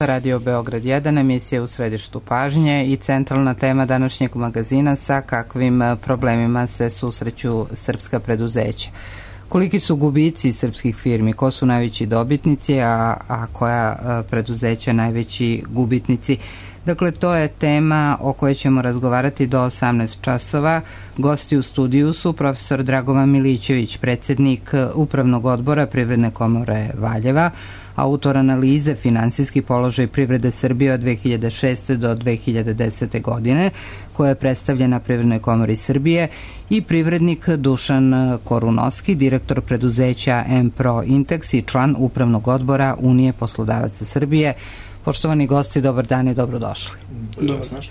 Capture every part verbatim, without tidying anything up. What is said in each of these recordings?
Radio Beograd jedan, emisija u središtu pažnje i centralna tema današnjeg magazina sa kakvim problemima se susreću srpska preduzeća. Koliki su gubici srpskih firmi, ko su najveći dobitnici, a, a koja preduzeća najveći gubitnici? Dakle, to je tema o kojoj ćemo razgovarati do osamnaest časova. Gosti u studiju su profesor Dragovan Milićević, predsjednik Upravnog odbora Privredne komore Valjeva, autor analize Finansijski položaj privrede Srbije od dve hiljade šeste. do dve hiljade desete. godine, koja je predstavljena Privrednoj komori Srbije, i privrednik Dušan Korunovski, direktor preduzeća M-Pro Intex i član Upravnog odbora Unije poslodavaca Srbije. Poštovani gosti, dobar dan i dobrodošli. Dobar znaš.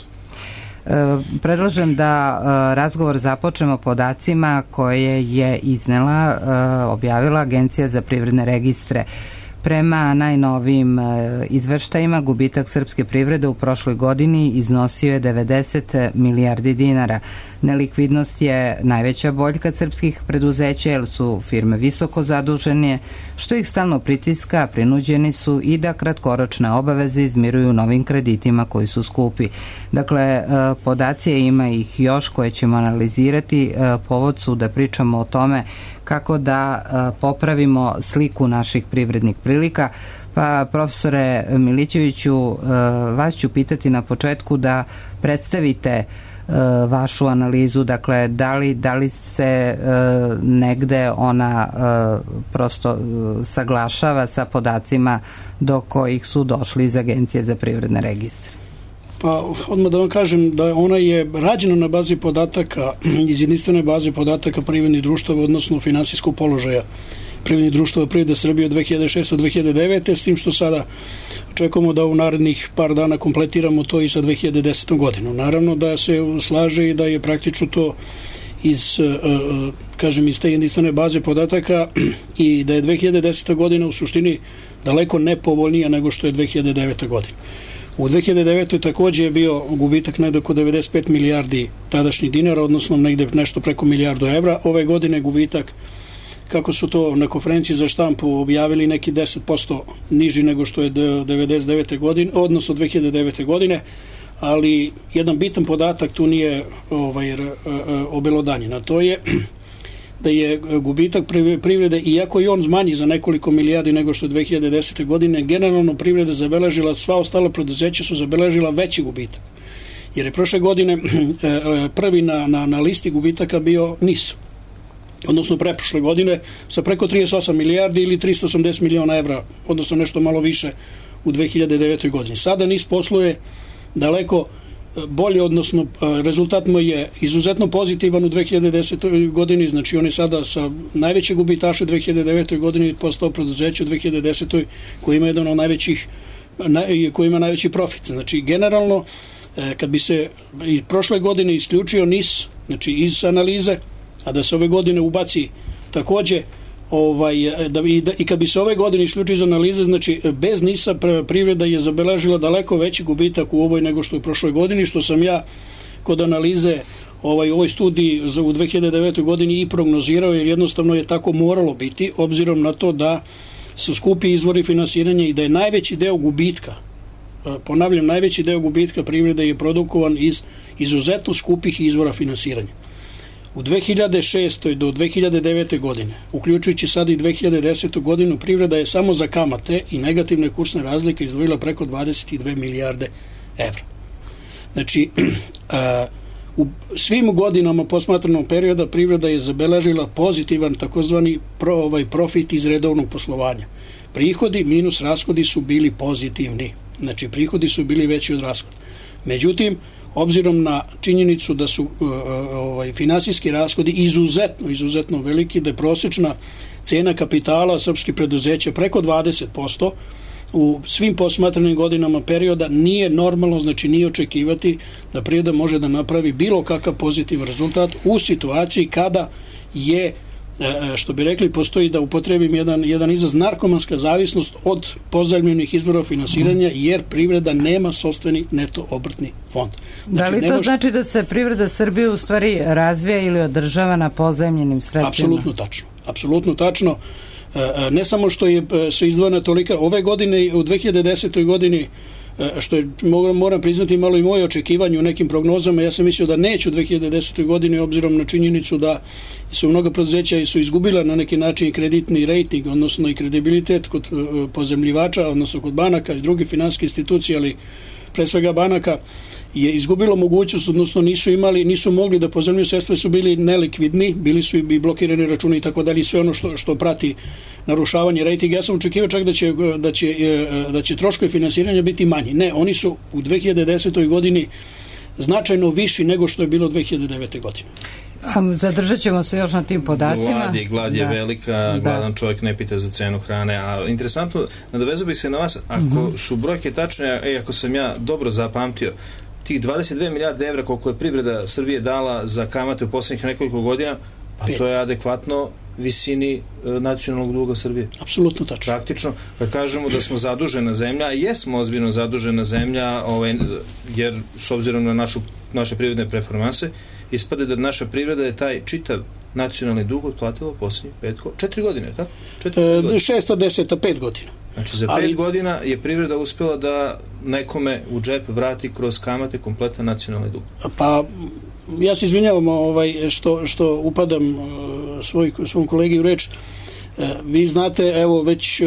Predlažem da razgovor započnemo podacima koje je iznela, objavila Agencija za privredne registre. Prema najnovijim izveštajima, gubitak srpske privrede u prošloj godini iznosio je devedeset milijardi dinara. Nelikvidnost je najveća boljka srpskih preduzeća jer su firme visoko zadužene, što ih stalno pritiska, prinuđeni su i da kratkoročne obaveze izmiruju novim kreditima koji su skupi. Dakle, podaci ima ih još koje ćemo analizirati. Povod su da pričamo o tome kako da popravimo sliku naših privrednih prilika. Pa, profesore Milićeviću, vas ću pitati na početku da predstavite vašu analizu, dakle, da li, da li se negde ona prosto saglašava sa podacima do kojih su došli iz Agencije za privredne registre? Pa, odmah da vam kažem da ona je rađena na bazi podataka iz jedinstvene baze podataka privrednih društava, odnosno finansijskog položaja privrednih društava privrede Srbije od dve hiljade šeste. do dve hiljade devete. s tim što sada očekujemo da u narednih par dana kompletiramo to i sa dve hiljade desete. godinom. Naravno da se slaže i da je praktično to iz, kažem, iz te jedinstvene baze podataka i da je dve hiljade deseta. godina u suštini daleko nepovoljnija nego što je dve hiljade deveta. godina. U dve hiljade devetoj. takođe je bio gubitak negde oko devedeset pet milijardi tadašnjih dinara, odnosno negde nešto preko milijardu evra. Ove godine gubitak, kako su to na konferenciji za štampu objavili, neki deset posto niži nego što je devedeset devete. godine, odnosno dve hiljade devete. godine, ali jedan bitan podatak tu nije ovaj, obelodanjen, a to je da je gubitak privrede, iako i on manji za nekoliko milijardi nego što je dve hiljade desete. godine, generalno privreda zabeležila, sva ostala preduzeća su zabeležila veći gubitak. Jer je prošle godine prvi na, na, na listi gubitaka bio N I S, odnosno preprošle godine, sa preko trideset osam milijardi ili tristo osamdeset miliona evra, odnosno nešto malo više u dve hiljade devetoj. godini. Sada N I S posluje daleko bolje, odnosno rezultat mu je izuzetno pozitivan u dve hiljade desetoj. godini, znači on je sada sa najveće gubitaše u dve hiljade devetoj. godini postao preduzeće u dve hiljade desetoj. koji ima jedan od najvećih, koji ima najveći profit. Znači, generalno, kad bi se i prošle godine isključio N I S, znači iz analize, a da se ove godine ubaci takođe, ovaj, da, i, da, i kad bi se ove godine isključio iz analize, znači bez N I S-a privreda je zabeležila daleko veći gubitak u ovoj nego što je u prošloj godini, što sam ja kod analize ovaj, u ovoj studiji za, u dve hiljade devetoj. godini i prognozirao, jer jednostavno je tako moralo biti, obzirom na to da su skupi izvori finansiranja i da je najveći deo gubitka, ponavljam, najveći deo gubitka privrede je produkovan iz izuzetno skupih izvora finansiranja. U dve hiljade šestoj. do dve hiljade devete. godine, uključujući sad i dve hiljade desetu. godinu, privreda je samo za kamate i negativne kursne razlike izdvojila preko dvadeset dve milijarde evra. Znači, u svim godinama posmatranog perioda privreda je zabeležila pozitivan takozvani pro, ovaj, profit iz redovnog poslovanja. Prihodi minus rashodi su bili pozitivni. Znači, prihodi su bili veći od rashoda. Međutim, obzirom na činjenicu da su uh, ovaj, finansijski rashodi izuzetno, izuzetno veliki, da je prosječna cena kapitala srpskih preduzeća preko dvadeset posto, u svim posmatranim godinama perioda nije normalno, znači nije očekivati da privreda može da napravi bilo kakav pozitivan rezultat u situaciji kada je, što bi rekli, postoji, da upotrebim jedan, jedan izraz, narkomanska zavisnost od pozajmljenih izvora finansiranja, jer privreda nema sopstveni neto obrtni fond. Znači, da li to nemaš... znači da se privreda Srbije u stvari razvija ili održava na pozajmljenim sredstvima? Apsolutno tačno. Apsolutno tačno. Ne samo što je, su izdvojena tolika, ove godine, u dve hiljade desetoj godini, što je, moram priznati, malo i moje očekivanje u nekim prognozama, ja sam mislio da neću u dve hiljade desetoj godini, obzirom na činjenicu da su mnoga preduzeća su izgubila na neki način kreditni rejting, odnosno i kredibilitet kod pozemljivača, odnosno kod banaka i drugih finansijskih institucija, ali pre svega banaka, je izgubilo mogućnost, odnosno nisu imali, nisu mogli da pozemljuju sredstva, su bili nelikvidni, bili su i blokirani računi i tako dalje, sve ono što, što prati narušavanje rejtinga. Ja sam očekivao čak da će, da će, da će troškovi finansiranja biti manji. Ne, oni su u dve hiljade desetoj godini značajno viši nego što je bilo dve hiljade devete godine. Zadržat ćemo se još na tim podacima. Glad je, glad je da. velika, gladan da. Čovjek ne pita za cenu hrane, a interesantno, nadovezao bih se na vas, ako mm-hmm. su brojke tačne, e, ako sam ja dobro zapamtio, tih dvadeset dve milijarde evra koliko je privreda Srbije dala za kamate u poslednjih nekoliko godina, pa Pet. to je adekvatno visini e, nacionalnog duga Srbije. Apsolutno tačno. Praktično, kad kažemo da smo zadužena zemlja, a jesmo ozbiljno zadužena zemlja, ovaj, jer s obzirom na našu, naše privredne performanse, ispade da naša privreda je taj čitav nacionalni dug otplatila posljednjih pet, četiri godine, tako? Četiri e, godine. Šesta, deseta, pet godina. Znači, za Ali... pet godina je privreda uspela da nekome u džep vrati kroz kamate kompletan nacionalni dug. Pa, ja se izvinjavam ovaj, što, što upadam svoj, svom kolegi u reč. Vi znate, evo, već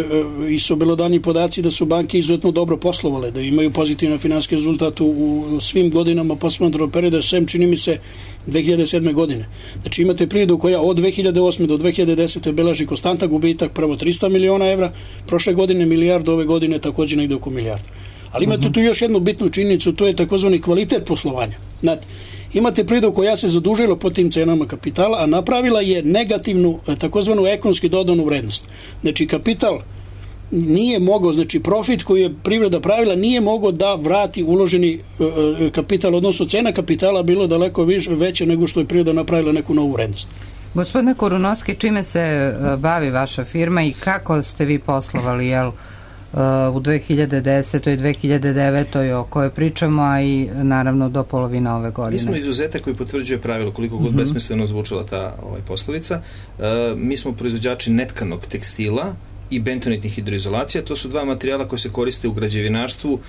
i su belodani podaci da su banke izuzetno dobro poslovale, da imaju pozitivan finansijski rezultat u, u svim godinama posmatranog perioda, sem čini mi se dve hiljade sedme godine. Znači imate privredu koja od dve hiljade osme do dve hiljade desete beleži konstantan gubitak, prvo trista miliona evra, prošle godine milijardu, ove godine također negde oko milijardu. Ali imate uh-huh. tu još jednu bitnu činjenicu, to je takozvani kvalitet poslovanja. Znate, imate privredu koja se zadužila po tim cenama kapitala, a napravila je negativnu, takozvanu ekonomski dodanu vrednost. Znači, kapital nije mogao, znači profit koji je privreda pravila nije mogao da vrati uloženi kapital, odnosno cena kapitala bilo daleko više, veće nego što je privreda napravila neku novu vrednost. Gospodine Korunovski, čime se bavi vaša firma i kako ste vi poslovali, jel, u dve hiljade desetoj i dve hiljade devetoj o kojoj pričamo, a i naravno do polovine ove godine? Mi smo izuzetak koji potvrđuje pravilo, koliko god mm-hmm. besmisleno zvučala ta ovaj, poslovica. Uh, mi smo proizvođači netkanog tekstila i bentonitnih hidroizolacija. To su dva materijala koji se koriste u građevinarstvu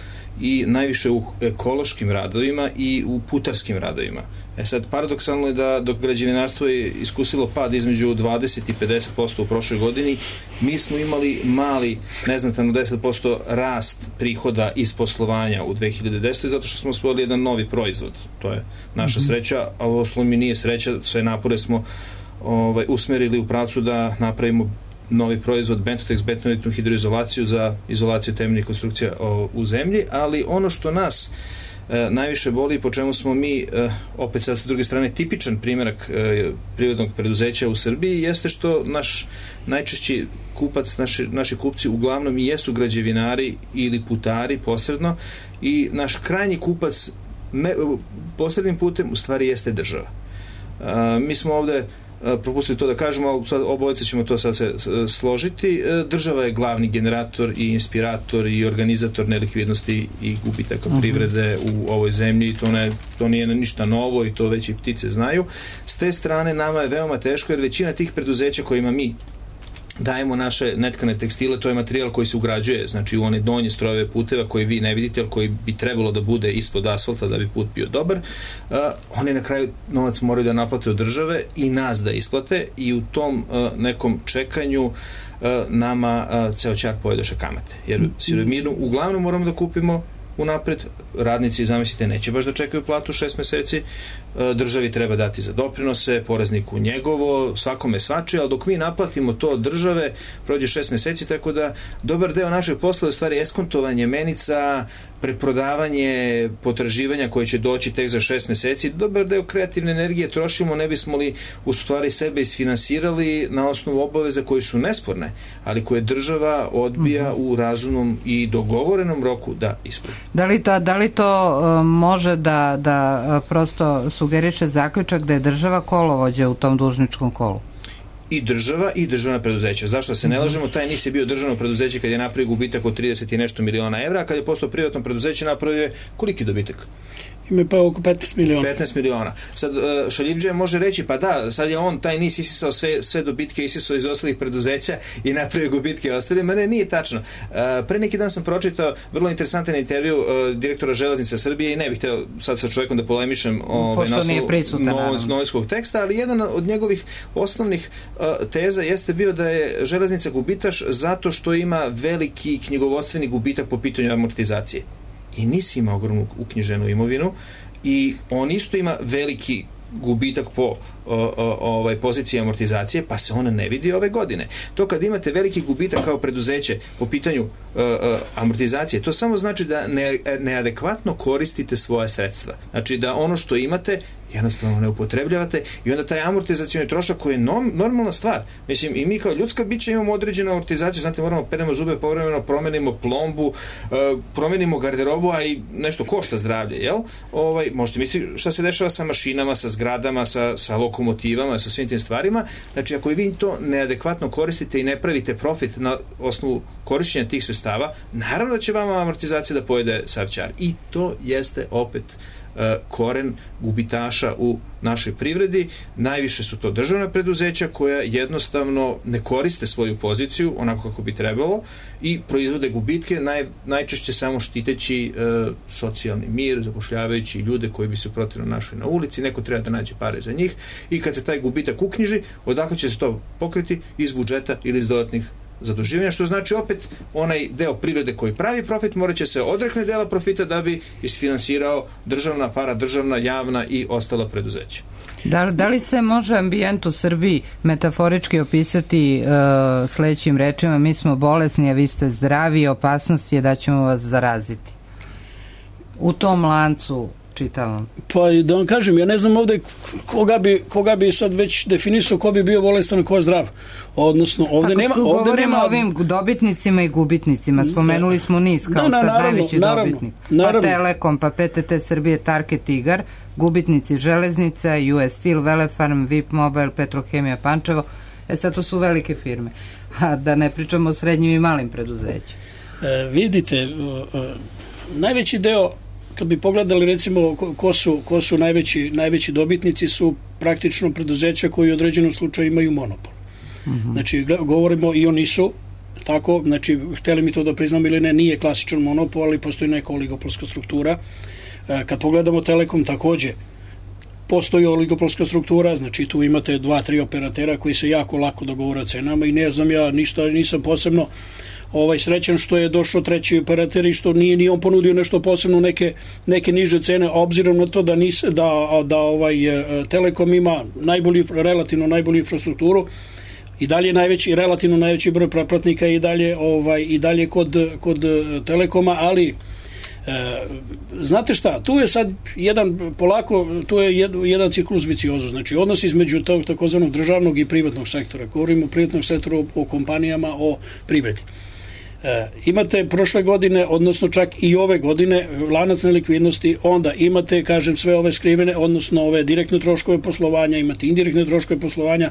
i najviše u ekološkim radovima i u putarskim radovima. E sad, paradoksalno je da dok građevinarstvo je iskusilo pad između dvadeset i pedeset posto u prošloj godini, mi smo imali mali, neznatan deset posto rast prihoda iz poslovanja u dve hiljade desetoj zato što smo osvojili jedan novi proizvod. To je naša mm-hmm. sreća, a u osnovu mi nije sreća, sve napore smo ovaj, usmerili u pravcu da napravimo novi proizvod Bentotex, bentonitnu hidroizolaciju za izolaciju temeljnih konstrukcija o, u zemlji, ali ono što nas e, najviše boli, po čemu smo mi, e, opet sad sa druge strane, tipičan primjerak e, privrednog preduzeća u Srbiji, jeste što naš najčešći kupac, naši, naši kupci uglavnom i jesu građevinari ili putari posredno i naš krajnji kupac me, posrednim putem u stvari jeste država. E, mi smo ovde propustili to da kažemo, ali sad obojice ćemo to sad se složiti. Država je glavni generator i inspirator i organizator nelikvidnosti i gubitaka uh-huh. privrede u ovoj zemlji i to, ne, to nije ništa novo i to već i ptice znaju. S te strane nama je veoma teško jer većina tih preduzeća kojima mi dajemo naše netkane tekstile, to je materijal koji se ugrađuje, znači u one donje strojeve puteva koje vi ne vidite, ali koji bi trebalo da bude ispod asfalta da bi put bio dobar. Uh, oni na kraju novac moraju da naplate od države i nas da isplate i u tom uh, nekom čekanju uh, nama uh, ceo ćar pojedoše kamate. Jer sirovinu uglavnom moramo da kupimo unapred, radnici, zamislite, neće baš da čekaju platu šest meseci, državi treba dati za doprinose, porezniku njegovo, svakome svačije, ali dok mi naplatimo to od države, prođe šest meseci, tako da dobar deo našeg posla je u stvari eskontovanje menica, preprodavanje potraživanja koje će doći tek za šest meseci, dobar deo kreativne energije trošimo, ne bismo li u stvari sebe isfinansirali na osnovu obaveza koje su nesporne, ali koje država odbija mm-hmm. u razumnom i dogovorenom roku da ispuni. Da li to, da li to uh, može da, da uh, prosto sugeriše zaključak da je država kolovođa u tom dužničkom kolu? I država i državna preduzeća. Zašto se ne lažemo? Taj N I S je bio državno preduzeće kad je napravio gubitak od trideset i nešto miliona evra, a kad je postao privatno preduzeće napravio je koliki dobitak? Ima pa oko petnaest miliona. petnaest miliona. Sad, šaljivdžija može reći, pa da, sad je on, taj nis isisao sve, sve dobitke, isisao iz ostalih preduzeća i napravio gubitke ostali. Ma ne, nije tačno. Pre neki dan sam pročitao vrlo interesantan intervju direktora Železnica Srbije i ne bih hteo sad sa čovjekom da polemišem ovaj, na osnovu novinskog teksta, ali jedan od njegovih osnovnih teza jeste bio da je Železnica gubitaš zato što ima veliki knjigovodstveni gubitak po pitanju amortizacije. I NIS ima ogromnu uknjiženu imovinu i on isto ima veliki gubitak po o, o, ovaj, poziciji amortizacije, pa se ona ne vidi ove godine. To kad imate veliki gubitak kao preduzeće po pitanju o, o, amortizacije, to samo znači da ne, neadekvatno koristite svoje sredstva. Znači da ono što imate jednostavno ne upotrebljavate i onda taj amortizacioni trošak koji je normalna stvar. Mislim, i mi kao ljudska bića imamo određenu amortizaciju, znate, moramo peremo zube, povremeno promenimo plombu, promenimo garderobu, a i nešto košta zdravlje, jel? Ovaj, možete misliti šta se dešava sa mašinama, sa zgradama, sa, sa lokomotivama, sa svim tim stvarima. Znači, ako i vi to neadekvatno koristite i ne pravite profit na osnovu korišćenja tih sredstava, naravno da će vama amortizacija da pojede sav ćar. I to jeste opet koren gubitaša u našoj privredi. Najviše su to državna preduzeća koja jednostavno ne koriste svoju poziciju onako kako bi trebalo i proizvode gubitke, naj, najčešće samo štiteći e, socijalni mir, zapošljavajući ljude koji bi se protivno našli na ulici, neko treba da nađe pare za njih i kad se taj gubitak uknjiži, odakle će se to pokriti? Iz budžeta ili iz dodatnih zaduživanja, što znači opet onaj deo privrede koji pravi profit morat će se odrekne dela profita da bi isfinansirao državna, paradržavna, javna i ostala preduzeća. Da, da li se može ambijent u Srbiji metaforički opisati uh, sledećim rečima: mi smo bolesni, a vi ste zdravi, opasnost je da ćemo vas zaraziti? U tom lancu čitavam. Pa da vam kažem, ja ne znam ovde koga bi, koga bi sad već definisao ko bi bio bolestan i ko je zdrav. Odnosno, ovde pa, nema... Ovde govorimo nema... o ovim dobitnicima i gubitnicima. Spomenuli smo NIS kao da, sad naravno, najveći naravno, dobitnik. Naravno. Pa Telekom, pa P T T Srbije, Target, Tigar, gubitnici Železnica, U S Steel, Velefarm, V I P Mobile, Petrohemija Pančevo. E sad to su velike firme. A da ne pričamo o srednjim i malim preduzećima. E, vidite, uh, uh, najveći deo, kad bi pogledali recimo ko su, ko su najveći, najveći dobitnici, su praktično preduzeća koji u određenom slučaju imaju monopol. Uh-huh. Znači, govorimo i o NIS-u, tako, znači, hteli mi to da priznam ili ne, nije klasičan monopol, ali postoji neka oligopolska struktura. Kad pogledamo Telekom, takođe, postoji oligopolska struktura, znači tu imate dva, tri operatera koji se jako lako dogovore o cenama i ne znam ja ništa, nisam posebno ovaj srećan što je došao treći operater i što nije ni on ponudio nešto posebno, neke, neke niže cene, obzirom na to da, nis, da, da ovaj Telekom ima najbolji, relativno najbolju infrastrukturu i dalje najveći, relativno najveći broj pretplatnika i dalje, ovaj, i dalje kod, kod Telekoma, ali E, znate šta, tu je sad jedan polako, tu je jed, jedan ciklus viciozo, znači odnos između tog takozvanog državnog i privatnog sektora. Govorimo o privatnom sektoru, o, o kompanijama, o privredi. E, imate prošle godine, odnosno čak i ove godine, lanac nelikvidnosti, onda imate, kažem, sve ove skrivene, odnosno ove direktne troškove poslovanja, imate indirektne troškove poslovanja,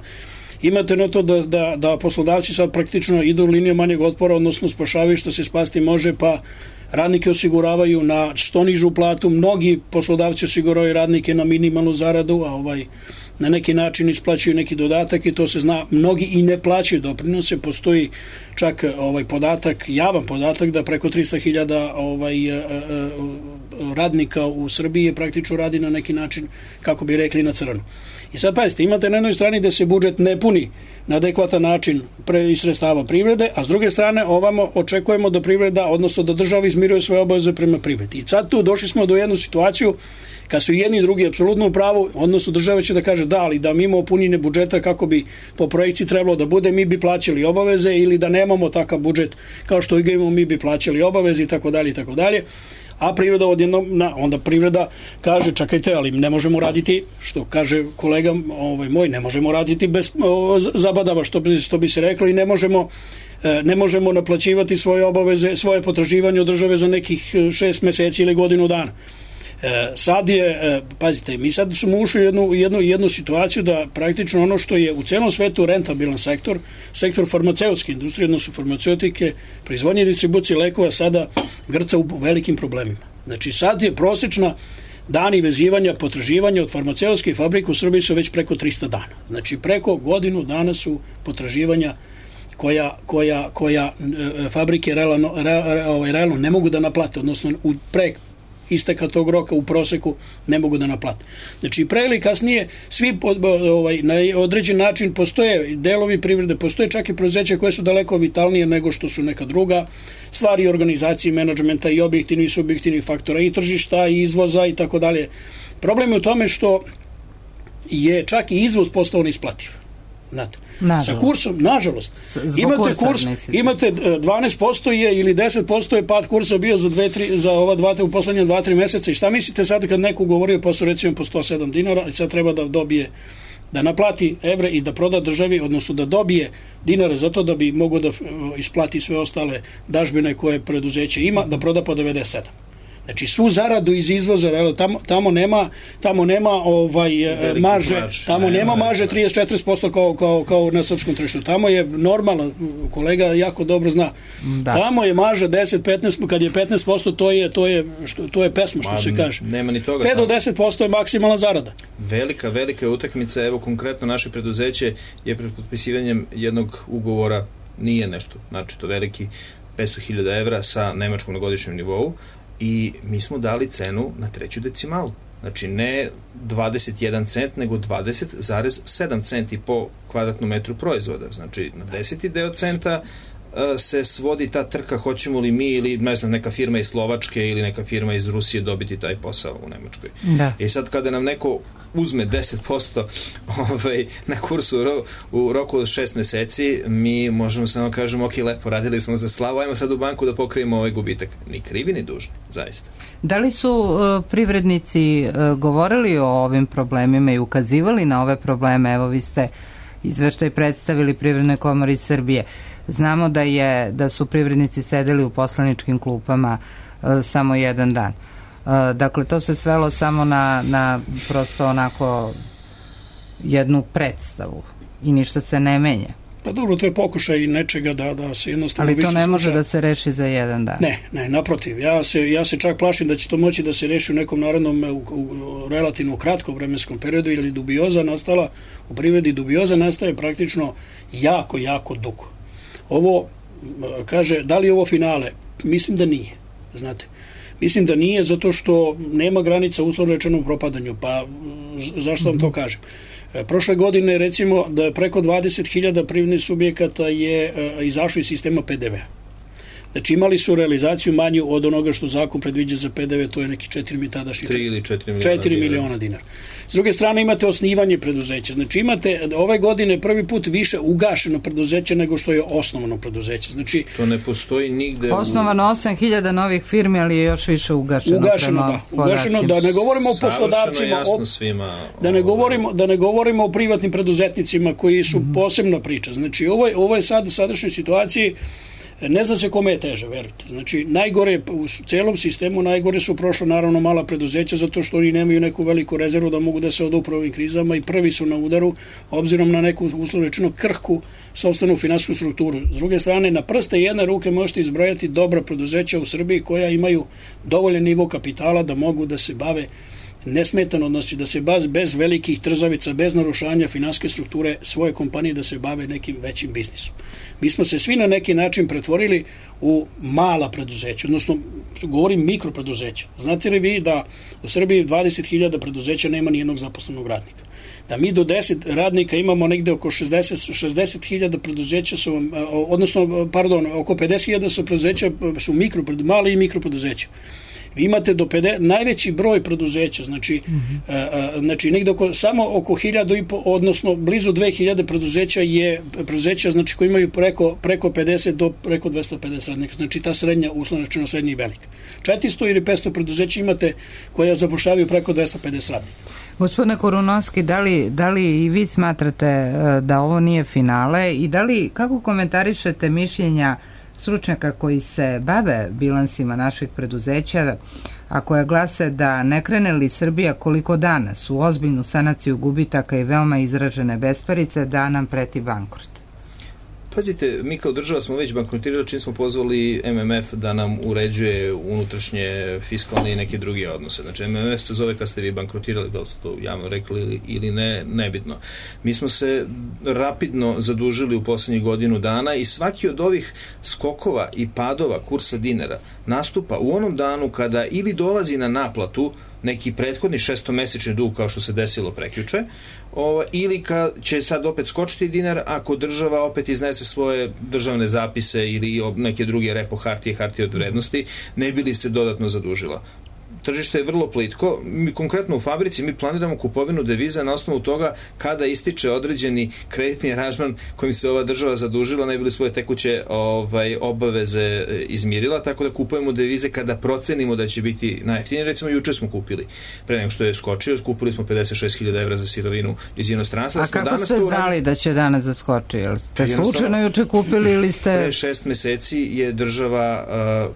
imate na to da, da, da poslodavci sad praktično idu u liniju manjeg otpora, odnosno spašavaju što se spasti može, pa radnike osiguravaju na što nižu platu, mnogi poslodavci osiguravaju radnike na minimalnu zaradu, a ovaj na neki način isplaćuju neki dodatak i to se zna, mnogi i ne plaćaju doprinose, postoji čak ovaj podatak, javan podatak da preko trista hiljada ovaj radnika u Srbiji praktično radi na neki način, kako bi rekli, na crno. I sad pazite, imate na jednoj strani da se budžet ne puni na adekvatan način pre, iz sredstava privrede, a s druge strane ovamo očekujemo da privreda, odnosno da država izmiruje svoje obaveze prema privredi. I sad tu došli smo do jednu situaciju kad su jedni i drugi apsolutno u pravu, odnosno država će da kaže da, ali da mi imamo punjenje budžeta kako bi po projekciji trebalo da bude, mi bi plaćali obaveze, ili da nemamo takav budžet kao što ga imamo, mi bi plaćali obaveze i tako dalje i tako dalje. A privreda odjednom, na, onda privreda kaže čekajte, ali ne možemo raditi, što kaže kolega ovaj, moj, ne možemo raditi bez o, zabadava, što bi, što bi se reklo, i ne možemo, e, ne možemo naplaćivati svoje obaveze, svoje potraživanje od države za nekih šest meseci ili godinu dana. E, sad je, e, pazite, mi sad smo ušli u jednu, jednu, jednu situaciju da praktično ono što je u celom svetu rentabilan sektor, sektor farmaceutske industrije, odnosno farmaceutike, proizvodnje i distribucije lekova, sada grca u velikim problemima. Znači sad je prosečna dani vezivanja potraživanja od farmaceutskih fabrika u Srbiji su već preko trista dana. Znači preko godinu dana su potraživanja koja, koja, koja e, fabrike realno, re, ovaj, realno ne mogu da naplate, odnosno u pre isteka tog roka u proseku ne mogu da naplate. Znači pre ili kasnije svi ovaj, na određen način postoje delovi privrede, postoje čak i preduzeća koje su daleko vitalnije nego što su neka druga stvari organizacije, menadžmenta i objektivni i subjektivni faktora i tržišta i izvoza i tako dalje. Problem je u tome što je čak i izvoz postao neisplativ. Znate, sa kursom, nažalost, imate kursa, kurs, mislite. Imate dvanaest posto je ili deset posto je pad kursa bio za dve, tri, za ova dva, u poslednje dva, tri meseca i šta mislite sad kad neko govorio posle recimo po sto sedam dinara i sad treba da dobije, da naplati evre i da proda državi, odnosno da dobije dinare zato da bi mogo da isplati sve ostale dažbine koje preduzeće ima, da proda po devedeset sedam. Znači svu zaradu iz izvoza, tamo, tamo nema, tamo nema ovaj marže, mač, tamo ne, nema marže trideset do četrdeset posto kao, kao, kao na srpskom tržištu. Tamo je normalno, kolega jako dobro zna. Da. Tamo je marža deset do petnaest, kad je petnaest posto to je to je što to je pesma što Ma, se kaže. Nema ni toga. pet do deset posto je maksimalna zarada. Velika, velika utakmica, evo konkretno naše preduzeće je pred potpisivanjem jednog ugovora, nije nešto, znači to veliki petsto hiljada evra sa Nemačkom na godišnjem nivou. I mi smo dali cenu na treću decimalu. Znači ne dvadeset jedan cent, nego dvadeset zarez sedam centi po kvadratnom metru proizvoda. Znači na deseti deo centa se svodi ta trka, hoćemo li mi ili ne znam, neka firma iz Slovačke ili neka firma iz Rusije dobiti taj posao u Nemačkoj. Da. I sad kada nam neko uzme deset posto ovaj, na kursu u, ro, u roku od šest meseci, mi možemo samo kažemo ok, lepo, radili smo za slavu, ajmo sad u banku da pokrijemo ovaj gubitak. Ni krivi ni dužni, zaista. Da li su uh, privrednici uh, govorili o ovim problemima i ukazivali na ove probleme? Evo vi ste izveštaj predstavili Privrednoj komori Srbije. Znamo da je da su privrednici sedeli u poslaničkim klupama uh, samo jedan dan. Uh, dakle, to se svelo samo na, na prosto onako jednu predstavu i ništa se ne menja. Pa dobro, to je pokušaj nečega da, da se jednostavno... Ali to više ne može sluša. Da se reši za jedan dan. Ne, ne, naprotiv. Ja se, ja se čak plašim da će to moći da se reši u nekom narodnom, u, u relativno kratkom vremenskom periodu, ili dubioza nastala u privredi, dubioza nastaje praktično jako, jako dugo. Ovo, kaže, da li je ovo finale? Mislim da nije, znate. Mislim da nije zato što nema granica uslovno rečeno u propadanju, pa zašto vam to kažem? Prošle godine recimo da je preko dvadeset hiljada privrednih subjekata je izašlo iz sistema pe de ve a. Znači imali su realizaciju manju od onoga što zakon predviđa za pe de ve, to je neki četiri tadašnji tri ili četiri miliona dinara. S druge strane imate osnivanje preduzeća. Znači imate ove godine prvi put više ugašeno preduzeće nego što je osnovano preduzeće. Znači to ne postoji nigde. Osnovano osam hiljada novih firmi, ali je još više ugašeno. Ugašeno, da. Ugašeno, da ne govorimo o poslodavcima, o, svima, da ne govorimo da ne govorimo o privatnim preduzetnicima koji su mm-hmm. posebna priča. Znači ovo je, ovo je sad u sadašnjoj situaciji. Ne zna se kome je teže, verujte. Znači, najgore u celom sistemu, najgore su prošla naravno mala preduzeća zato što oni nemaju neku veliku rezervu da mogu da se odupru ovim krizama i prvi su na udaru, obzirom na neku uslovno rečeno krhku sopstvenu finansijsku strukturu. S druge strane, na prste jedne ruke možete izbrojati dobra preduzeća u Srbiji koja imaju dovoljan nivo kapitala da mogu da se bave nesmetano, znači da se baz bez velikih trzavica, bez narušanja finansijske strukture svoje kompanije da se bave nekim većim biznisom. Mi smo se svi na neki način pretvorili u mala preduzeća, odnosno govorim mikropreduzeća. Znate li vi da u Srbiji dvadeset hiljada preduzeća nema ni jednog zaposlenog radnika? Da mi do deset radnika imamo negde oko šezdeset hiljada preduzeća su, odnosno, pardon, oko pedeset hiljada su preduzeća, su mikro, mali i mikropreduzeća. Vi imate do pedeset, najveći broj preduzeća, znači, mm-hmm. a, a, znači negde oko, samo oko hiljadu i po, odnosno blizu dve hiljade preduzeća je preduzeća, znači koji imaju preko, preko pedeset do preko dvesta pedeset radnika, znači ta srednja, uslovno rečeno srednja i velika. četiristo ili petsto preduzeća imate koja zapošljavaju preko dvesta pedeset radnika. Gospodine Korunovski, da li, da li i vi smatrate da ovo nije finale i da li, kako komentarišete mišljenja stručnjaka koji se bave bilansima naših preduzeća, a koja glase da ne krene li Srbija koliko danas u ozbiljnu sanaciju gubitaka i veoma izražene besparice, da nam preti bankrot? Pazite, mi kao država smo već bankrotirali čim smo pozvali M M F da nam uređuje unutrašnje fiskalne i neke druge odnose. Znači, M M F se zove kad ste vi bankrotirali, da li ste to javno rekli ili, ili ne, nebitno. Mi smo se rapidno zadužili u poslednjih godinu dana i svaki od ovih skokova i padova kursa dinara nastupa u onom danu kada ili dolazi na naplatu neki prethodni šestomesečni dug kao što se desilo prekjuče, o, ili kad će sad opet skočiti dinar ako država opet iznese svoje državne zapise ili neke druge repo hartije, hartije od vrednosti, ne bi li se dodatno zadužila. Tržište je vrlo plitko. Mi konkretno u fabrici mi planiramo kupovinu deviza na osnovu toga kada ističe određeni kreditni aranžman kojim se ova država zadužila, ne bi li svoje tekuće ovaj, obaveze izmirila, tako da kupujemo devize kada procenimo da će biti najjeftinije. Recimo, juče smo kupili, pre nego što je skočio, kupili smo pedeset šest hiljada evra za sirovinu iz inostranstva. A kako ste znali da će danas zaskoči? Jel ste slučajno juče kupili ili ste... Pre šest meseci je država... Uh,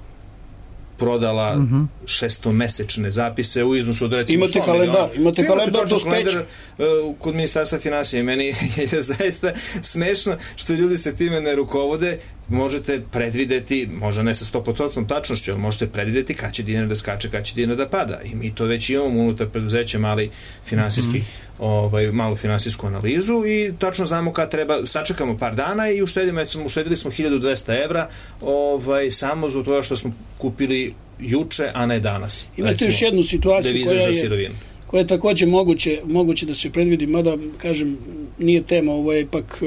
prodala uh-huh. šestomesečne zapise u iznosu od recimo sto miliona. Imate kalendar dospeća. Uh, kod Ministarstva finansija i meni je zaista smešno što ljudi se time ne rukovode. Možete predvideti, možda ne sa sto posto tačnošću, ali možete predvideti kad će dinar da skače, kad će dinar da pada. I mi to već imamo unutar preduzeća mali finansijski, mm-hmm. ovaj, malu finansijsku analizu i tačno znamo kad treba, sačekamo par dana i uštedimo, uštedili smo hiljadu dvesta evra ovaj, samo zbog toga što smo kupili juče, a ne danas. Imate recimo, još jednu situaciju koja je, koja je takođe moguće, moguće da se predvidi, mada, kažem, nije tema, ovo je ipak,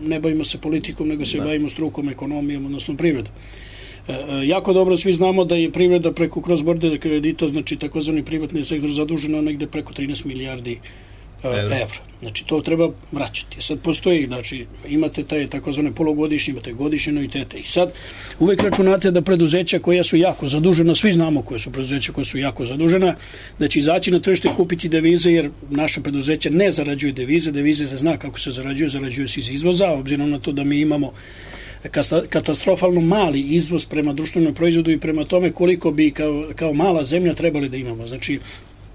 ne bavimo se politikom, nego se da. bavimo strukom, ekonomijom, odnosno privredom. Jako dobro svi znamo da je privreda preko cross-border kredita, znači takozvani privatni sektor, zaduženo negde preko trinaest milijardi evra. evra. Znači, to treba vraćati. Sad postoji, znači, imate taj takozvane polugodišnje, imate godišnje anuitete. I sad uvek računate da preduzeća koja su jako zadužena, svi znamo koje su preduzeća koja su jako zadužena, da će izaći na tržište kupiti devize, jer naša preduzeća ne zarađuju devize, devize se zna kako se zarađuju, zarađuju se iz izvoza, obzirom na to da mi imamo katastrofalno mali izvoz prema društvenom proizvodu i prema tome koliko bi kao, kao mala zemlja trebali da imamo. Znači,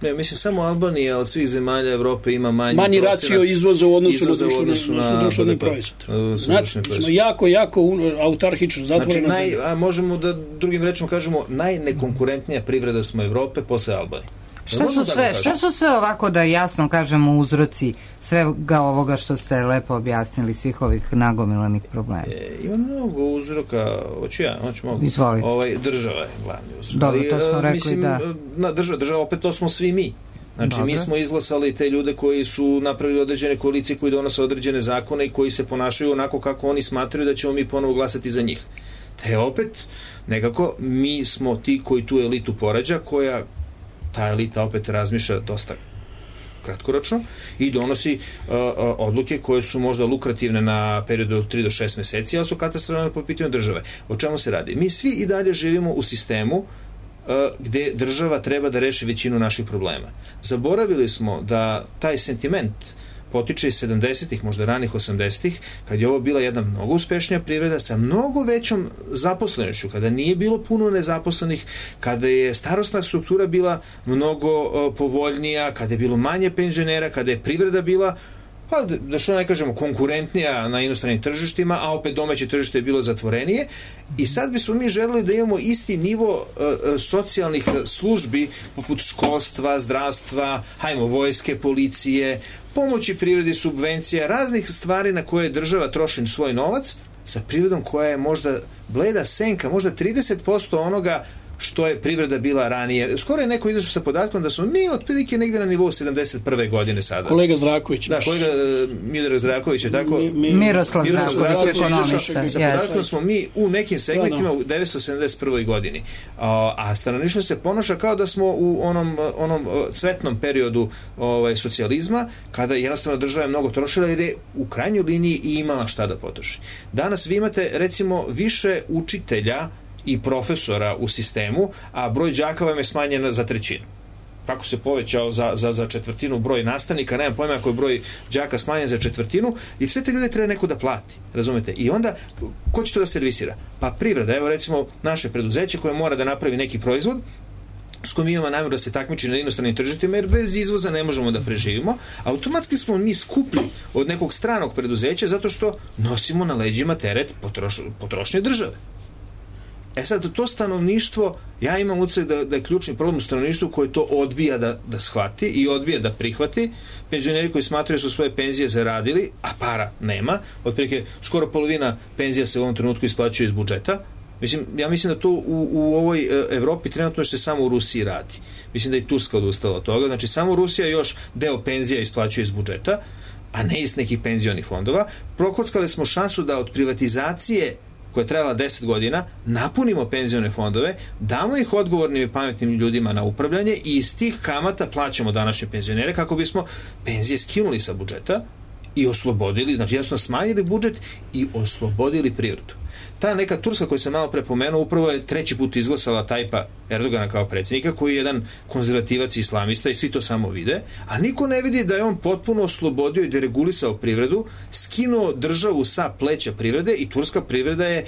ne, mislim, samo Albanija od svih zemalja Evrope ima manji, manji racio izvoza u odnosu na društveni, na društveni proizvod. Znači, smo jako, jako autarhično, zatvorena znači, naj, zemlja. A možemo da drugim rečima kažemo najnekonkurentnija privreda smo Evrope posle Albanije. Šta su, sve, šta su sve ovako da jasno kažemo uzroci svega ovoga što ste lepo objasnili, svih ovih nagomilanih problema? E, ima mnogo uzroka, hoću ja, hoću mogu. Izvolite. Ovaj, država je glavni uzrok. Dobro, to smo rekli, mislim, da. Na država, država, opet to smo svi mi. Znači, Dobre. mi smo izglasali te ljude koji su napravili određene koalicije, koji donose određene zakone i koji se ponašaju onako kako oni smatraju da ćemo mi ponovo glasati za njih. Te opet, nekako, mi smo ti koji tu elitu porađa, koja ta elita opet razmišlja dosta kratkoročno i donosi uh, uh, odluke koje su možda lukrativne na periodu od tri do šest meseci, ali su katastrofalne po pitanju države. O čemu se radi? Mi svi i dalje živimo u sistemu uh, gde država treba da reši većinu naših problema. Zaboravili smo da taj sentiment potiče iz sedamdesetih, možda ranih osamdesetih, kad je ovo bila jedna mnogo uspešnija privreda sa mnogo većom zaposlenošću, kada nije bilo puno nezaposlenih, kada je starosna struktura bila mnogo uh, povoljnija, kada je bilo manje penzionera, kada je privreda bila, pa da što ne kažemo, konkurentnija na inostranim tržištima, a opet domaće tržište je bilo zatvorenije i sad bismo mi želeli da imamo isti nivo uh, socijalnih službi poput školstva, zdravstva, hajmo, vojske, policije, pomoći privredi, subvencija, raznih stvari na koje država troši svoj novac, sa privredom koja je možda bleda senka, možda trideset posto onoga što je privreda bila ranije. Skoro je neko izašao sa podatkom da smo mi otprilike negde na nivou sedamdeset prve godine sada. Kolega Zdravković. Da, kolega Miodrag Zdravković je tako. Mi, mi, Miroslav Zdravković, ekonomista. Sa podatkom smo mi u nekim segmentima u devetsto sedamdeset prvoj godini. A, a stanovništvo se ponaša kao da smo u onom, onom cvetnom periodu ovaj, socijalizma, kada jednostavno država je mnogo trošila jer je u krajnjoj liniji i imala šta da potroši. Danas vi imate recimo više učitelja i profesora u sistemu, a broj đaka vam je smanjen za trećinu. Kako se povećao za, za, za četvrtinu broj nastavnika, nemam pojma ako je broj đaka smanjen za četvrtinu i sve te ljude treba neko da plati, razumete? I onda, ko će to da servisira? Pa privreda, evo recimo naše preduzeće koje mora da napravi neki proizvod, s kojim imamo namjeru da se takmiči na inostranim tržištima, jer bez izvoza ne možemo da preživimo, automatski smo mi skuplji od nekog stranog preduzeća zato što nosimo na leđima teret potroš, potrošnje države. E sad, to stanovništvo, ja imam utisak da, da je ključni problem u stanovništvu koje to odbija da, da shvati i odbija da prihvati. Penzioneri koji smatraju su svoje penzije zaradili, a para nema, otprilike skoro polovina penzija se u ovom trenutku isplaćuje iz budžeta. Mislim, ja mislim da to u, u ovoj Evropi trenutno što se samo u Rusiji radi. Mislim da i Turska odustala od toga. Znači, samo Rusija još deo penzija isplaćuje iz budžeta, a ne iz nekih penzionih fondova. Prokockali smo šansu da od privatizacije koja je trajala deset godina, napunimo penzione fondove, damo ih odgovornim i pametnim ljudima na upravljanje i iz tih kamata plaćamo današnje penzionere kako bismo penzije skinuli sa budžeta i oslobodili, znači jednostavno smanjili budžet i oslobodili privredu. Ta neka Turska koju sam malo pre pomenuo upravo je treći put izglasala Tajpa Erdogana kao predsjednika, koji je jedan konzervativac i islamista i svi to samo vide, a niko ne vidi da je on potpuno oslobodio i deregulisao privredu, skinuo državu sa pleća privrede i turska privreda je,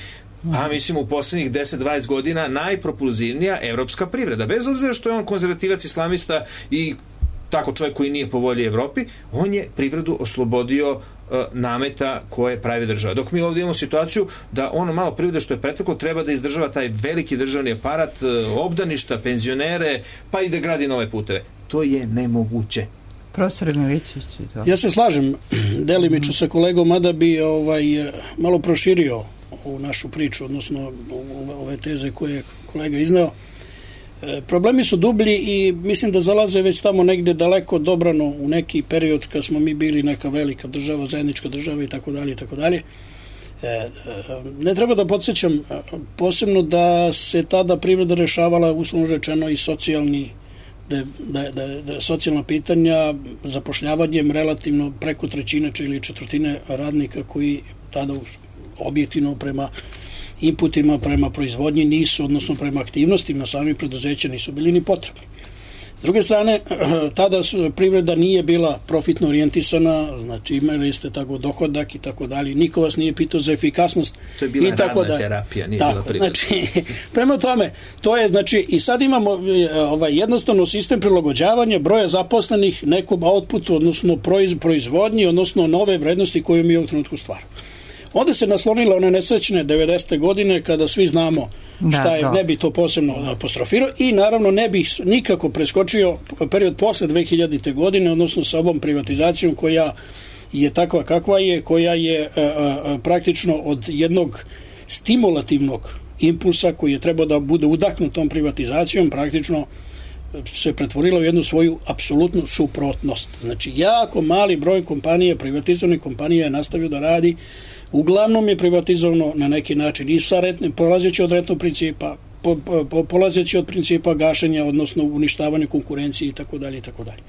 pa mislim u poslednjih deset do dvadeset godina najpropulzivnija evropska privreda. Bez obzira što je on konzervativac, islamista i tako čovjek koji nije po volji Evropi, on je privredu oslobodio uh, nameta koje pravi država. Dok mi ovdje imamo situaciju da ono malo privrede što je preteklo treba da izdržava taj veliki državni aparat, uh, obdaništa, penzionere, pa i da gradi nove puteve. To je nemoguće. Profesor Milićević, to. Ja se slažem delimično sa kolegom, mada bi ovaj, malo proširio ovu našu priču, odnosno ove teze koje je kolega izneo. Problemi su dublji i mislim da zalaze već tamo negde daleko dobrano u neki period kad smo mi bili neka velika država, zajednička država i tako dalje i tako dalje. Ne treba da podsjećam posebno da se tada privreda rešavala uslovno rečeno i socijalni da, da, da, da socijalna pitanja zapošljavanjem relativno preko trećine ili četvrtine radnika koji tada objektivno prema inputima prema proizvodnji nisu, odnosno prema aktivnostima samih preduzeća nisu bili ni potrebni. S druge strane, tada privreda nije bila profitno orijentisana, znači imali ste tako dohodak i tako dalje, niko vas nije pitao za efikasnost. To je bila i tako radna da, terapija, nije tako, bila privreda. Znači, prema tome, to je, znači, i sad imamo ovaj, jednostavno sistem prilagođavanja broja zaposlenih nekom outputu, odnosno proiz, proizvodnji, odnosno nove vrednosti koju mi u trenutku stvaramo. Onda se naslonila one nesrećne devedesete godine kada svi znamo šta je, da, ne bi to posebno apostrofirao i naravno ne bi nikako preskočio period posle dve hiljadite godine, odnosno sa ovom privatizacijom koja je takva kakva je, koja je a, a, praktično od jednog stimulativnog impulsa koji je trebao da bude udahnut tom privatizacijom praktično se pretvorila u jednu svoju apsolutnu suprotnost. Znači, jako mali broj kompanija, privatizovanih kompanija je nastavio da radi. Uglavnom je privatizovano na neki način i sa retne, polazeći od retnog principa, po, po, polazeći od principa gašenja, odnosno uništavanja konkurencije i tako dalje i tako dalje.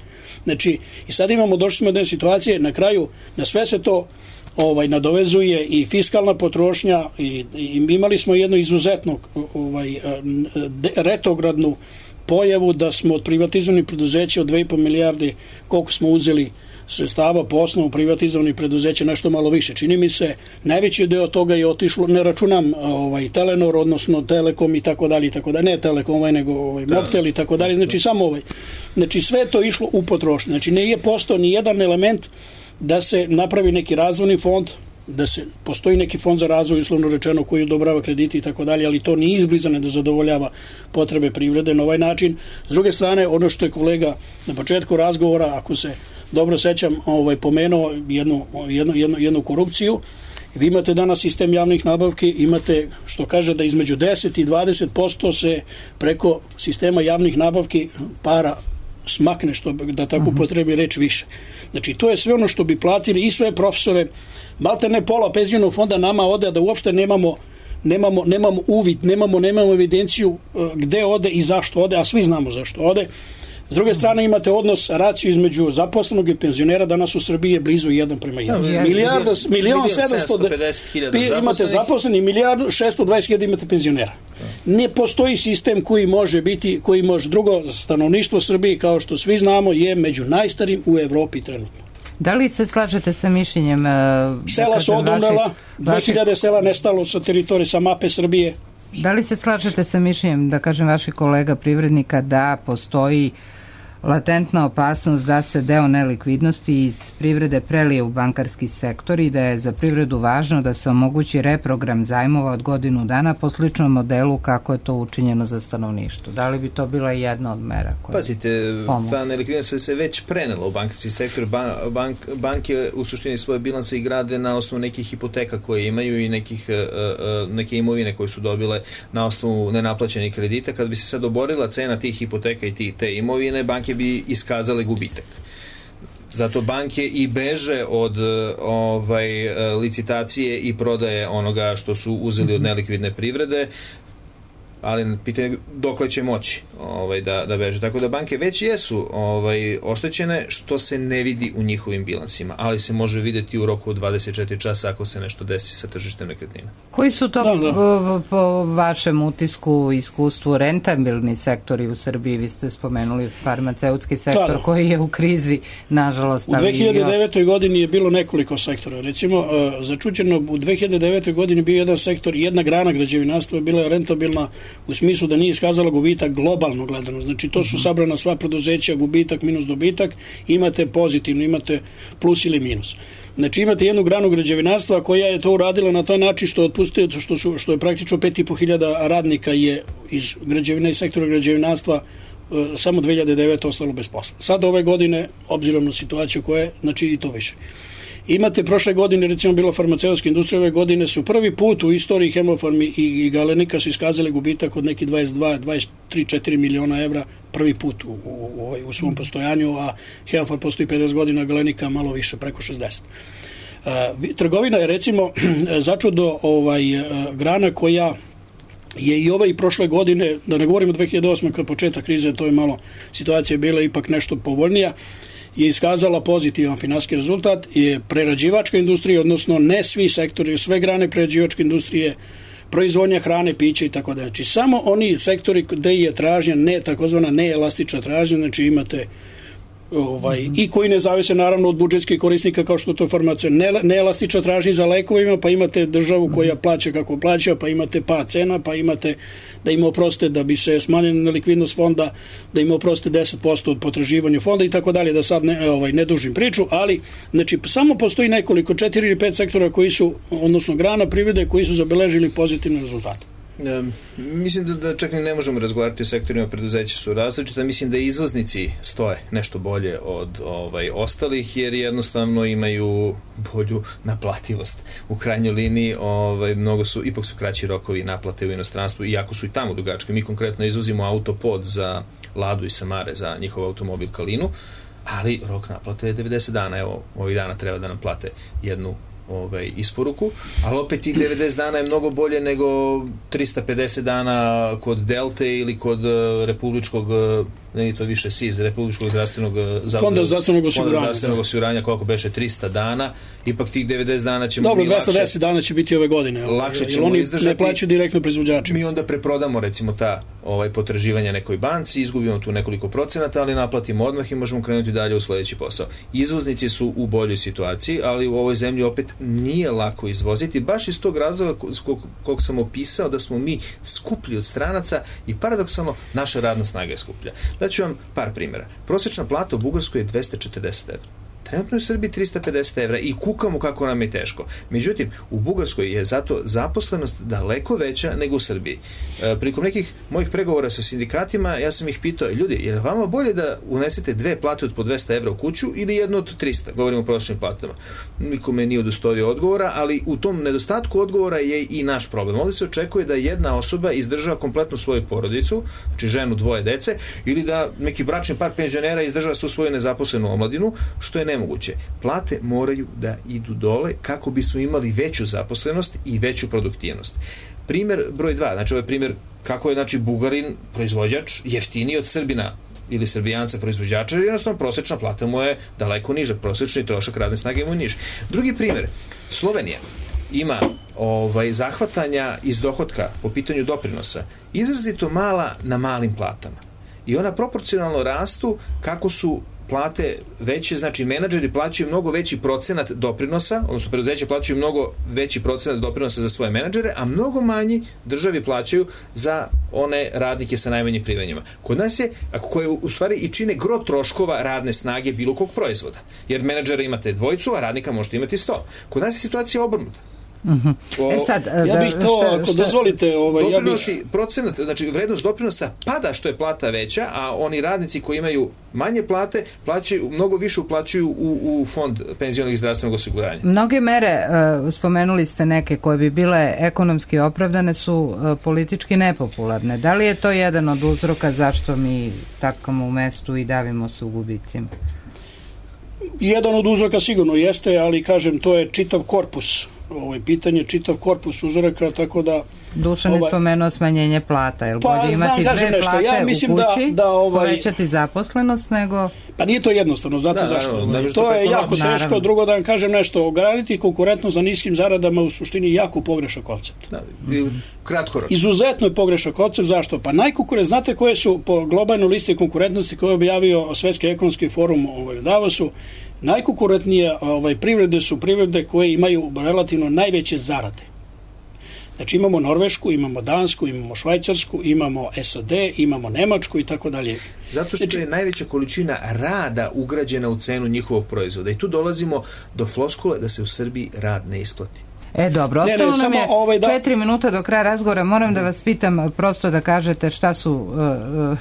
Znači, i sad imamo, došli smo do jedne situacije, na kraju, na sve se to ovaj nadovezuje i fiskalna potrošnja i, i imali smo jednu izuzetno ovaj, retrogradnu pojavu da smo od privatizovanih preduzeća od dve i po milijarde koliko smo uzeli sredstava po osnovu privatizovanih preduzeća nešto malo više. Čini mi se, najveći deo toga je otišlo, ne računam ovaj, Telenor, odnosno Telekom i tako dalje i tako dalje, ne Telekom ovaj, nego ovaj, Mobtel i tako dalje, znači samo ovaj. Znači sve to išlo u potrošnju. Znači ne je postao ni jedan element da se napravi neki razvojni fond, da se postoji neki fond za razvoj uslovno rečeno koji odobrava krediti i tako dalje, ali to nije izblizane da zadovoljava potrebe privrede na ovaj način. S druge strane, ono što je kolega na početku razgovora, ako se dobro sećam, ovaj, pomenuo jednu, jednu, jednu, jednu korupciju. Vi imate danas sistem javnih nabavki, imate što kaže da između deset i dvadeset posto se preko sistema javnih nabavki para smakne, što da tako upotrebi reč više. Znači, to je sve ono što bi platili i sve profesore, malte ne pola penzionog fonda nama ode, da uopšte nemamo nemamo, nemamo uvid, nemamo, nemamo evidenciju gde ode i zašto ode, a svi znamo zašto ode. S druge strane imate odnos, raciju između zaposlenog i penzionera, danas u Srbiji je blizu jedan prema jedan. No, milijarda, milion sedamsto hiljada imate zaposleni, milijardu šesto dvadeset hiljada imate penzionera. Ne postoji sistem koji može biti, koji može drugo stanovništvo Srbije, kao što svi znamo, je među najstarijim u Evropi trenutno. Da li se slažete sa mišljenjem? Sela su odumrela, dve hiljade sela nestalo sa teritorije, sa mape Srbije. Da li se slažete sa mišljenjem, da kažem, vaših kolega privrednika da postoji latentna opasnost da se deo nelikvidnosti iz privrede prelije u bankarski sektor i da je za privredu važno da se omogući reprogram zajmova od godinu dana po sličnom modelu kako je to učinjeno za stanovništvo? Da li bi to bila jedna od mera koja Pazite, pomogu? Ta nelikvidnost se već prenela u bankarski sektor. Bank, banke u suštini svoje bilanse i grade na osnovu nekih hipoteka koje imaju i nekih, neke imovine koje su dobile na osnovu nenaplaćenih kredita. Kad bi se sad oborila cena tih hipoteka i te imovine, banke bi iskazale gubitak. Zato banke i beže od ovaj, licitacije i prodaje onoga što su uzeli od nelikvidne privrede, ali pitanje dokle će moći ovaj, da, da beže. Tako da banke već jesu ovaj, oštećene, što se ne vidi u njihovim bilansima, ali se može videti u roku od dvadeset četiri časa ako se nešto desi sa tržištem nekretnina. Koji su to da, da. Po, po vašem utisku, iskustvu, rentabilni sektori u Srbiji? Vi ste spomenuli farmaceutski sektor, da, da. koji je u krizi, nažalost. U dve hiljade devetoj još... godini je bilo nekoliko sektora. Recimo, začuđeno, u dve hiljade devetoj godini bio jedan sektor, jedna grana građevinarstva je bila rentabilna u smislu da nije iskazala gubitak globalno gledano. Znači, to su sabrana sva preduzeća, gubitak minus dobitak, imate pozitivno, imate plus ili minus. Znači, imate jednu granu građevinarstva koja je to uradila na taj način što otpustio, što, su, što je praktično pet i po hiljada radnika je iz građevina i sektora građevinarstva samo dve hiljade devete ostalo bez posla. Sad ove godine, obzirom na situaciju koja je, znači i to više. Imate prošle godine, recimo bilo farmaceutske industrije, ove godine su prvi put u istoriji Hemofarmi i, i Galenika su iskazali gubitak od neki dvadeset dva, dvadeset tri, četiri miliona evra prvi put u, u, u, u svom postojanju, a Hemofarm postoji pedeset godina, Galenika malo više, preko šezdeset. Uh, trgovina je recimo začudo ovaj, uh, grana koja je i ove i prošle godine, da ne govorimo dve hiljade osme kad početak krize, to je malo situacija bila ipak nešto povoljnija, je iskazala pozitivan finansijski rezultat, je prerađivačka industrija, odnosno ne svi sektori, sve grane prerađivačke industrije, proizvodnja hrane, piće i tako da. Znači, samo oni sektori gde je tražnja, ne, takozvana neelastična tražnja, znači imate ovaj, mm-hmm. i koji ne zavise naravno od budžetskih korisnika kao što to farmacija, ne, neelastična tražnja za lekovima, pa imate državu koja plaća kako plaća, pa imate pad cena, pa imate da im oproste da bi se smanjila nelikvidnost fonda, da im oproste deset posto od potraživanja fonda i tako dalje, da sad ne, ovaj, ne dužim priču, ali znači samo postoji nekoliko, četiri ili pet sektora koji su, odnosno grana privrede koji su zabeležili pozitivne rezultate. Um, mislim da, da čak ne možemo razgovarati o sektorima, preduzeća su različita. Mislim da izvoznici stoje nešto bolje od ovaj, ostalih, jer jednostavno imaju bolju naplativost. U krajnjoj liniji ovaj, mnogo su, ipak su kraći rokovi naplate u inostranstvu, iako su i tamo dugački. Mi konkretno izvozimo autopod za Ladu i Samare, za njihov automobil Kalinu, ali rok naplate je devedeset dana. Evo, ovih dana treba da nam plate jednu ovaj, isporuku, ali opet i devedeset dana je mnogo bolje nego trista pedeset dana kod Delte ili kod republičkog, ne je to više S I Z, republičkog zdravstvenog fonda zdravstvenog osiguranja, zdravstvenog osiguranja, koliko beše trista dana, ipak tih devedeset dana ćemo dobro, mi dvesta deset dana će biti ove godine. Lakše ćemo oni izdržati. Ne plaćaju direktno proizvođačima. Mi onda preprodamo recimo ta ovaj, potraživanja nekoj banci, izgubimo tu nekoliko procenata, ali naplatimo odmah i možemo krenuti dalje u sledeći posao. Izvoznici su u boljoj situaciji, ali u ovoj zemlji opet nije lako izvoziti, baš iz tog razloga kog sam opisao, da smo mi skuplji od stranaca i paradoksalno naša radna snaga je skuplja. Daću vam par primjera. Prosječna plata u Bugarskoj je dvesta četrdeset evra. Trenutno je u Srbiji trista pedeset evra i kukamo kako nam je teško. Međutim, u Bugarskoj je zato zaposlenost daleko veća nego u Srbiji. E, prilikom nekih mojih pregovora sa sindikatima, ja sam ih pitao, ljudi, je li vama bolje da unesete dve plate od po dvesta evra u kuću ili jednu od trista? Govorimo o prosječnim platama. Nikome nije udostojio odgovora, ali u tom nedostatku odgovora je i naš problem. Ovdje se očekuje da jedna osoba izdržava kompletnu svoju porodicu, znači ženu, dvoje dece, ili da neki bračni par penzionera izdržava svu svoju nezaposlenu omladinu, što je nemoguće. Plate moraju da idu dole kako bismo imali veću zaposlenost i veću produktivnost. Primer broj dva, znači ovo je primer kako je znači Bugarin proizvođač jeftiniji od Srbina ili Srbijanca proizvođača, jer jednostavno prosječna plata mu je daleko niža, prosječni trošak radne snage mu je niži. Drugi primer, Slovenija ima ovaj, zahvatanja iz dohotka po pitanju doprinosa izrazito mala na malim platama. I ona proporcionalno rastu kako su plate veće, znači menadžeri plaćaju mnogo veći procenat doprinosa, odnosno preduzeća plaćaju mnogo veći procenat doprinosa za svoje menadžere, a mnogo manji državi plaćaju za one radnike sa najmanjim primanjima. Kod nas je, koje u stvari i čine gro troškova radne snage bilo kog proizvoda, jer menadžera imate dvojicu, a radnika možete imati sto. Kod nas je situacija obrnuta. Uh-huh. O, e sad, ja bih to, šta, ako šta, dozvolite, ovaj, doprinosi, ja bih... procenat, znači vrednost doprinosa pada što je plata veća, a oni radnici koji imaju manje plate, plaćaju, mnogo više uplaćuju u, u fond penzionog i zdravstvenog osiguranja. Mnoge mere, uh, spomenuli ste neke koje bi bile ekonomski opravdane, su uh, politički nepopularne. Da li je to jedan od uzroka zašto mi takamo u mestu i davimo se u gubicima? Jedan od uzroka sigurno jeste, ali kažem, to je čitav korpus. Ovo je pitanje čitav korpus uzoraka, tako da... Dušan je ovaj, spomenuo smanjenje plata, jer pa, bolje imati znam, dve nešto. plate ja mislim u kući, da, da ovaj, povećati zaposlenost, nego... Pa nije to jednostavno, znate da, zašto? Da, da, da, to je jako teško, naravno. Drugo da vam kažem nešto, ograniti konkurentnost za niskim zaradama u suštini jako pogrešan koncept. Da, kratkoročno. Izuzetno je pogrešan koncept, zašto? Pa najkonkurent, znate koje su po globalnoj listi konkurentnosti koje je objavio Svetski ekonomski forum ovaj, u Davosu, najkonkurentnije ovaj, privrede su privrede koje imaju relativno najveće zarade. Znači imamo Norvešku, imamo Dansku, imamo Švajcarsku, imamo S A D, imamo Nemačku i tako dalje. Zato što znači, je najveća količina rada ugrađena u cenu njihovog proizvoda. I tu dolazimo do floskule da se u Srbiji rad ne isplati. E dobro, ostalo ne, ne, nam je ovaj, da... četiri minuta do kraja razgovora. Moram mm. da vas pitam prosto da kažete šta su uh,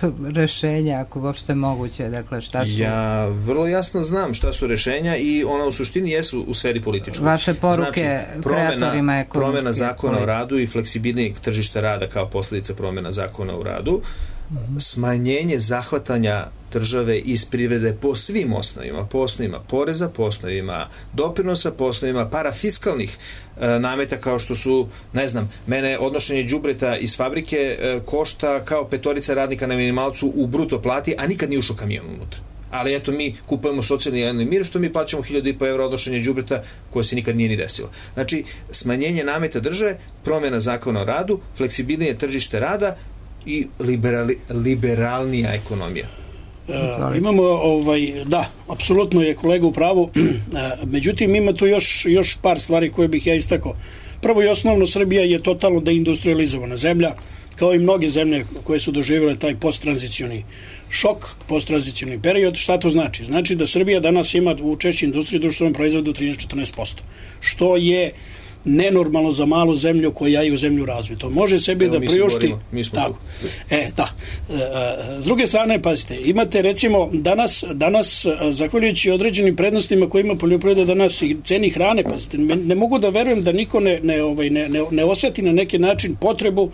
uh, rešenja, ako uopšte moguće. Dakle, šta su... Ja vrlo jasno znam šta su rešenja i ona u suštini jesu u sferi političkog. Vaše poruke znači, kreatorima ekonomske. Promena zakona o radu i fleksibilnijeg tržišta rada kao posljedica promena zakona o radu, mm-hmm. smanjenje zahvatanja države iz privrede po svim osnovima, po osnovima poreza, po osnovima doprinosa, po osnovima parafiskalnih e, nameta kao što su, ne znam, mene odnošenje đubreta iz fabrike e, košta kao petorica radnika na minimalcu u bruto plati, a nikad nije ušao kamion unutra. Ali eto, mi kupujemo socijalni javni mir, što mi plaćamo hiljadu i po evra odnošenje đubreta koje se nikad nije ni desilo. Znači, smanjenje nameta države, promjena zakona o radu, fleksibilnije tržište rada i liberali, liberalnija ekonomija. Uh, imamo, ovaj, da, apsolutno je kolega u pravu, uh, međutim ima tu još, još par stvari koje bih ja istakao. Prvo i osnovno, Srbija je totalno deindustrializovana zemlja, kao i mnoge zemlje koje su doživjele taj posttranzicioni šok, posttranzicioni period. Šta to znači? Znači da Srbija danas ima učešće industrije društvenom proizvodu trinaest do četrnaest posto, što je nenormalno za malu zemlju koja je u zemlju razviju. To može sebi Evo, da priušti. Tako. E, da. E, s druge strane, pazite, imate recimo danas, danas zahvaljujući određenim prednostima koje ima poljoprivreda danas i ceni hrane, pazite, ne mogu da verujem da niko ne, ne, ovaj, ne, ne, ne osjeti na neki način potrebu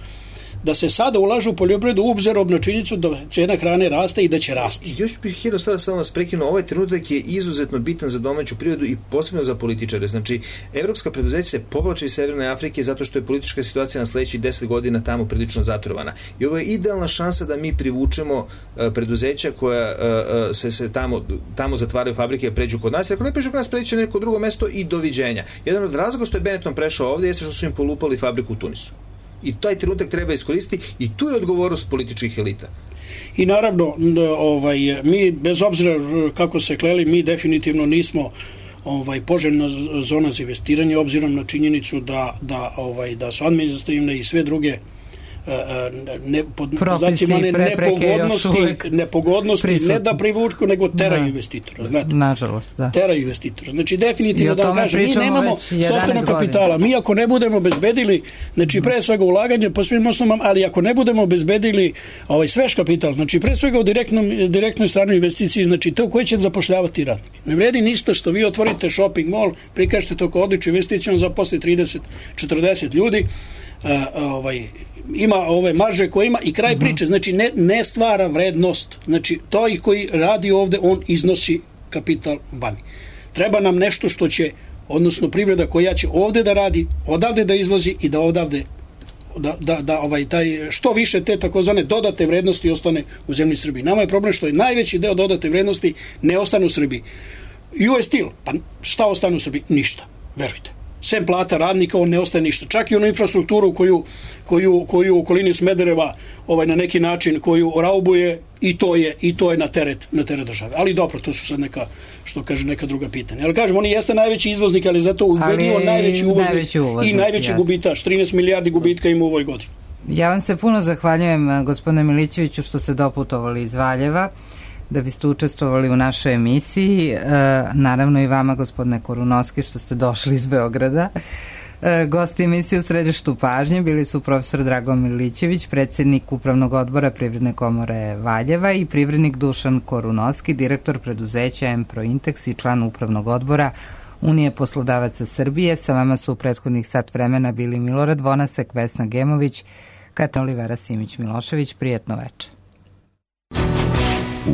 da se sada ulažu u poljoprivredu obzirom na činjenicu da cena hrane raste i da će rasti. Još bih jedno stvar samo vas prekinuo. Ovaj trenutak je izuzetno bitan za domaću privredu i posebno za političare. Znači, evropska preduzeća se povlače iz Severne Afrike zato što je politička situacija na sledećih deset godina tamo prilično zatrovana. I ovo je idealna šansa da mi privučemo uh, preduzeća koja uh, se, se tamo, tamo zatvaraju fabrike i pređu kod nas. Ako ne pređu kod nas, pređu na neko drugo mesto i doviđenja. Jedan od razloga što je Benetton prešao ovdje jeste što su im polupali fabriku u Tunisu. I taj trenutak treba iskoristiti i tu je odgovornost političkih elita. I naravno, ovaj, mi bez obzira kako se kleli, mi definitivno nismo ovaj, poželjna zona za investiranje, obzirom na činjenicu da, da, ovaj, da su administrativne i sve druge ne, pod znacima ne, nepogodnosti, nepogodnosti ne da privučku, nego teraju investitora. Znate? Nažalost, da. Teraju investitora. Znači, definitivno da vam kažem, mi nemamo sopstvenog kapitala. Mi ako ne budemo obezbedili, znači pre svega ulaganje po svim osnovama, ali ako ne budemo obezbedili ovaj svež kapital, znači pre svega u direktnom, direktnoj stranoj investiciji, znači to koji će zapošljavati radnike. Ne vredi ništa što vi otvorite shopping mall, prikažete to kao odličnu investiciju, zaposli trideset četrdeset ljudi, Uh, ovaj, ima ove marže koje ima i kraj uh-huh. priče, znači ne, ne stvara vrednost, znači to i koji radi ovde, on iznosi kapital vani. Treba nam nešto što će, odnosno privreda koja će ovde da radi, odavde da izvozi i da odavde da, da, da ovaj, taj, što više te takozvane dodate vrednosti ostane u zemlji Srbiji. Nama je problem što je najveći deo dodate vrednosti ne ostane u Srbiji. U S Steel, pa šta ostane u Srbiji? Ništa, verujte. sem plata radnika, on ne ostaje ništa. Čak i onu infrastrukturu koju, koju, koju u okolini Smedereva ovaj, na neki način koju raubuje, i to je, i to je na teret, na teret države. Ali dobro, to su sad neka, što kaže, neka druga pitanja. Ali kažem, on jeste najveći izvoznik, ali zato ubedljivo najveći uvoznik, najveći uvoznik i najveći jasno. Gubitaš, trinaest milijardi gubitka ima u ovoj godini. Ja vam se puno zahvaljujem, gospodine Milićeviću, što ste doputovali iz Valjeva da biste učestvovali u našoj emisiji. E, naravno i vama, gospodine Korunovski, što ste došli iz Beograda. E, gosti emisije u središtu pažnje bili su profesor Dragan Milićević, predsjednik Upravnog odbora Privredne komore Valjeva, i privrednik Dušan Korunovski, direktor preduzeća M-Prointex i član Upravnog odbora Unije poslodavaca Srbije. Sa vama su u prethodnih sat vremena bili Milorad Vonasek, Vesna Gemović, Katarina Olivera Simić-Milošević. Prijetno večer.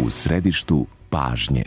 U središtu pažnje.